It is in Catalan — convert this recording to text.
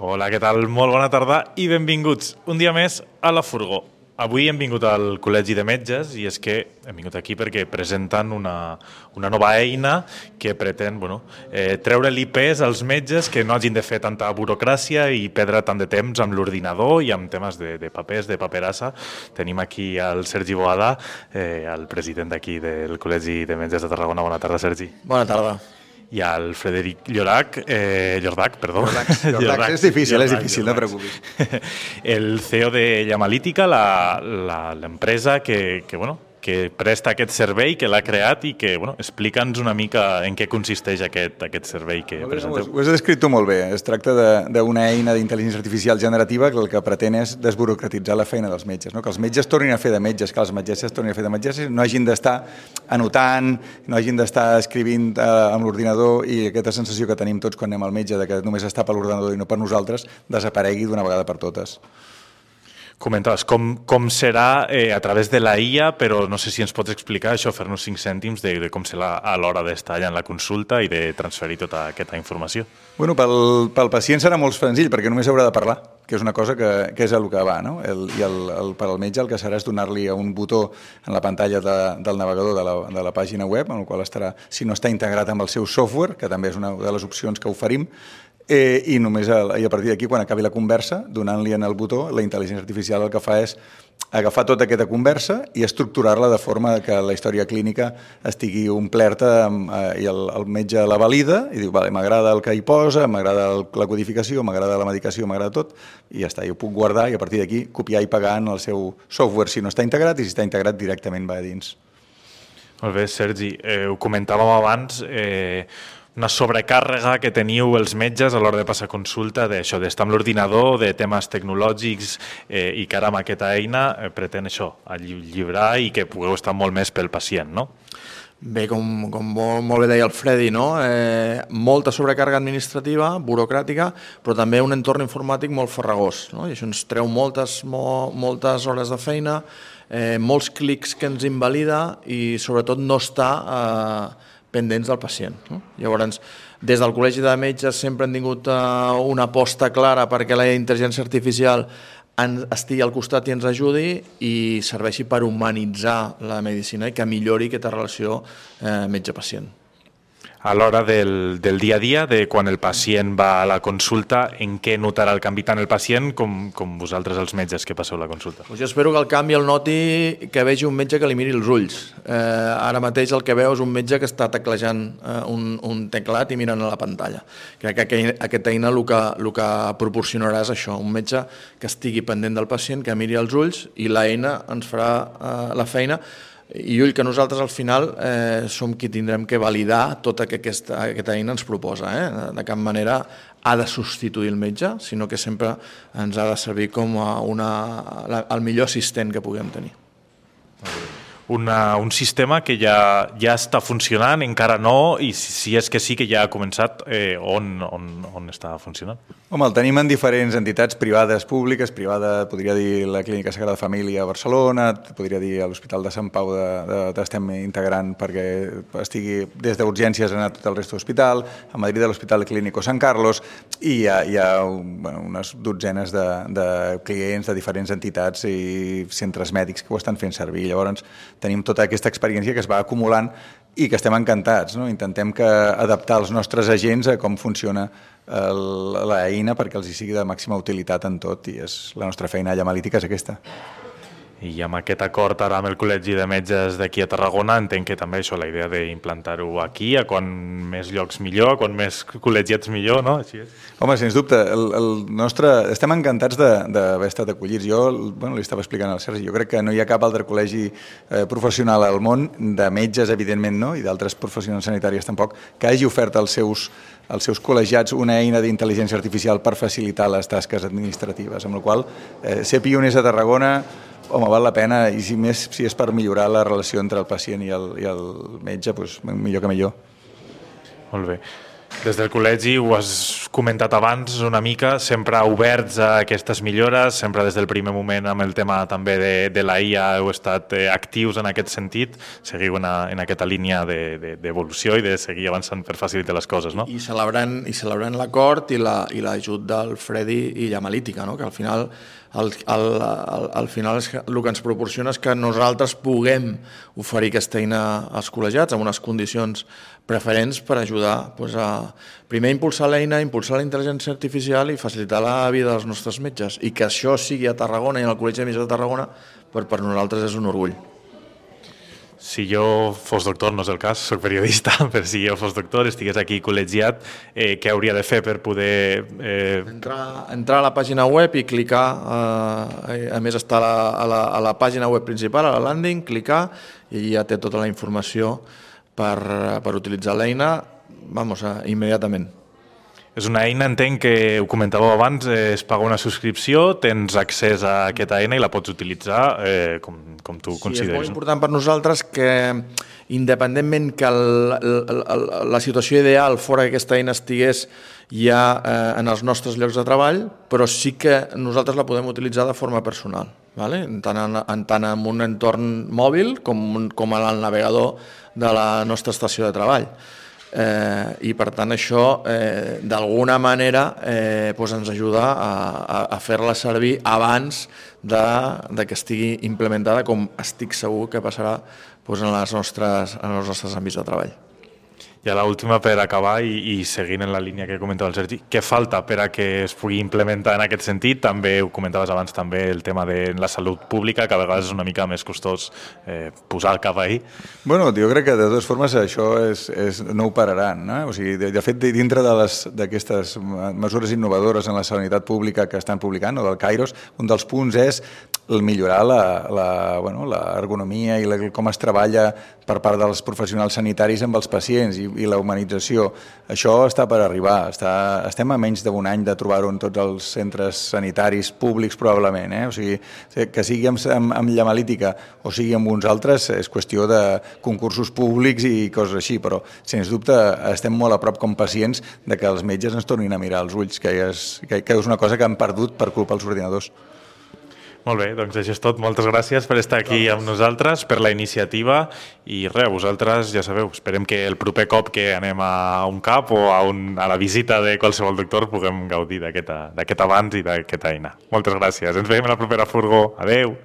Hola, què tal? Molt bona tarda i benvinguts un dia més a La Furgó. Avui hem vingut al Col·legi de Metges i és que hem vingut aquí perquè presenten una nova eina que pretén treure-li pes als metges que no hagin de fer tanta burocràcia i perdre tant de temps amb l'ordinador i amb temes de papers, de paperassa. Tenim aquí el Sergi Boada, el president d'aquí del Col·legi de Metges de Tarragona. Bona tarda, Sergi. Bona tarda. I el Frederic Llorach, Llordac, és difícil, no et preocupis. El CEO de Llamalítica, l'empresa que presta aquest servei, que l'ha creat i que, explica'ns una mica en què consisteix aquest servei que presenteu. Ho has descrit tu molt bé. Es tracta d'una eina d'intel·ligència artificial generativa que el que pretén és desburocratitzar la feina dels metges, no? Que els metges tornin a fer de metges, que les metgesses tornin a fer de metgesses, no hagin d'estar anotant, no hagin d'estar escrivint amb l'ordinador i aquesta sensació que tenim tots quan anem al metge de que només està per l'ordinador i no per nosaltres, desaparegui d'una vegada per totes. Comentaves com serà a través de la IA, però no sé si ens pots explicar això, fer-nos 5 cèntims de com serà a l'hora d'estar allà en la consulta i de transferir tota aquesta informació. Bueno, pel pacient serà molt senzill, perquè només haurà de parlar, que és una cosa que és el que va, no? Per al metge el que serà és donar-li un botó en la pantalla del navegador de la pàgina web, en el qual estarà, si no està integrat amb el seu software, que també és una de les opcions que oferim, i a partir d'aquí, quan acabi la conversa, donant-li en el botó, la intel·ligència artificial el que fa és agafar tota aquesta conversa i estructurar-la de forma que la història clínica estigui omplerta i el metge la valida i diu, vale, m'agrada el que hi posa, m'agrada la codificació, m'agrada la medicació, m'agrada tot, i ja està, jo ho puc guardar i a partir d'aquí copiar i pagar en el seu software si no està integrat i si està integrat directament va a dins. Molt bé, Sergi, ho comentàvem abans, una sobrecàrrega que teniu els metges a l'hora de passar consulta d'això, d'estar amb l'ordinador, de temes tecnològics i que ara amb aquesta eina pretén això, alliberar i que pugueu estar molt més pel pacient, no? Bé, com molt bé deia el Freddy, no? Molta sobrecàrrega administrativa, burocràtica, però també un entorn informàtic molt farragós, no? I això ens treu moltes hores de feina, molts clics que ens invalida i sobretot no està pendents del pacient, no? Llavors, des del Col·legi de Metges sempre hem tingut una aposta clara perquè la intel·ligència artificial estigui al costat i ens ajudi i serveixi per humanitzar la medicina i que millori aquesta relació metge-pacient. A l'hora del dia a dia, de quan el pacient va a la consulta, en què notarà el canvi tant el pacient com vosaltres els metges que passeu la consulta? Jo espero que el canvi el noti que vegi un metge que li miri els ulls. Ara mateix el que veu és un metge que està teclejant un teclat i mirant a la pantalla. Crec que aquesta eina el que proporcionarà és això, un metge que estigui pendent del pacient, que miri els ulls i l'eina ens farà la feina i ull que nosaltres al final som qui tindrem que validar tota que aquesta eina ens proposa. De cap manera ha de substituir el metge, sinó que sempre ens ha de servir com el millor assistent que puguem tenir. Un sistema que ja està funcionant, encara no, i si és que sí que ja ha començat, on està funcionant? Home, el tenim en diferents entitats privades, públiques, podria dir la Clínica Sagrada Família a Barcelona, podria dir a l'Hospital de Sant Pau estem integrant perquè estigui des d'urgències a tot el resta d'hospital, a Madrid a l'Hospital Clínico Sant Carlos, i hi ha unes dotzenes de clients de diferents entitats i centres mèdics que ho estan fent servir. Llavors, tenim tota aquesta experiència que es va acumulant i que estem encantats, no? Intentem adaptar els nostres agents a com funciona l'eina perquè els hi sigui de màxima utilitat en tot i la nostra feina a Llamalítica és aquesta. I amb aquest acord ara amb el Col·legi de Metges d'aquí a Tarragona entenc que també això, la idea d'implantar-ho aquí, a quan més llocs millor, a quan més col·legiats millor, no? Així és. Home, sens dubte, estem encantats d'haver estat acollits. Jo li estava explicant al Sergi, jo crec que no hi ha cap altre col·legi professional al món, de metges evidentment no, i d'altres professionals sanitàries tampoc, que hagi ofert als seus col·legiats una eina d'intel·ligència artificial per facilitar les tasques administratives, amb la qual ser pioners a Tarragona, home, val la pena, i si és per millorar la relació entre el pacient i el metge, doncs millor que millor. Molt bé. Des del col·legi, ho has comentat abans una mica, sempre oberts a aquestes millores, sempre des del primer moment amb el tema també de la IA heu estat actius en aquest sentit, seguiu en aquesta línia d'evolució i de seguir avançant per facilitar les coses, no? I celebrant l'acord i l'ajut del Freddy i Llamalítica, no? Que al final al final el que ens proporciona és que nosaltres puguem oferir aquesta eina als col·legiats amb unes condicions preferents per ajudar a primer impulsar l'eina, impulsar la intel·ligència artificial i facilitar la vida dels nostres metges. I que això sigui a Tarragona i en el Col·legi de Metges de Tarragona, per nosaltres és un orgull. Si jo fos doctor, no és el cas, soc periodista, però si jo fos doctor, estigués aquí col·legiat, què hauria de fer per poder... Entrar a la pàgina web i clicar, a més està a la pàgina web principal, a la landing, clicar i ja té tota la informació per utilitzar l'eina, immediatament. És una eina, entenc que ho comentàveu abans, es paga una subscripció, tens accés a aquesta eina i la pots utilitzar com tu consideris. Sí, és molt important per nosaltres que, independentment que la situació ideal fora que aquesta eina estigués ja en els nostres llocs de treball, però sí que nosaltres la podem utilitzar de forma personal, tant en un entorn mòbil com al navegador de la nostra estació de treball. I per tant això d'alguna manera ens ajuda a fer-la servir abans de que estigui implementada, com estic segur que passarà en els nostres àmbits de treball. I a l'última, per acabar, i seguint en la línia que comentava el Sergi, què falta per a que es pugui implementar en aquest sentit? També ho comentaves abans, també el tema de la salut pública, que a vegades és una mica més costós posar el cap ahí. Bueno, jo crec que de totes formes això no ho pararan, no? O sigui, de fet, dintre d'aquestes mesures innovadores en la sanitat pública que estan publicant, o del Kairos, un dels punts és millorar l'ergonomia i com es treballa per part dels professionals sanitaris amb els pacients i la humanització. Això està per arribar. Estem a menys d'un any de trobar-ho en tots els centres sanitaris públics, probablement. O sigui, que sigui amb Llamalítica o sigui amb uns altres, és qüestió de concursos públics i coses així, però, sens dubte, estem molt a prop com pacients de que els metges ens tornin a mirar als ulls, que és una cosa que han perdut per culpa dels ordinadors. Molt bé, doncs això és tot. Moltes gràcies per estar aquí amb nosaltres, per la iniciativa i res, vosaltres ja sabeu, esperem que el proper cop que anem a un CAP o a la visita de qualsevol doctor puguem gaudir d'aquest avanç i d'aquesta eina. Moltes gràcies. Ens veiem a la propera furgó. Adeu!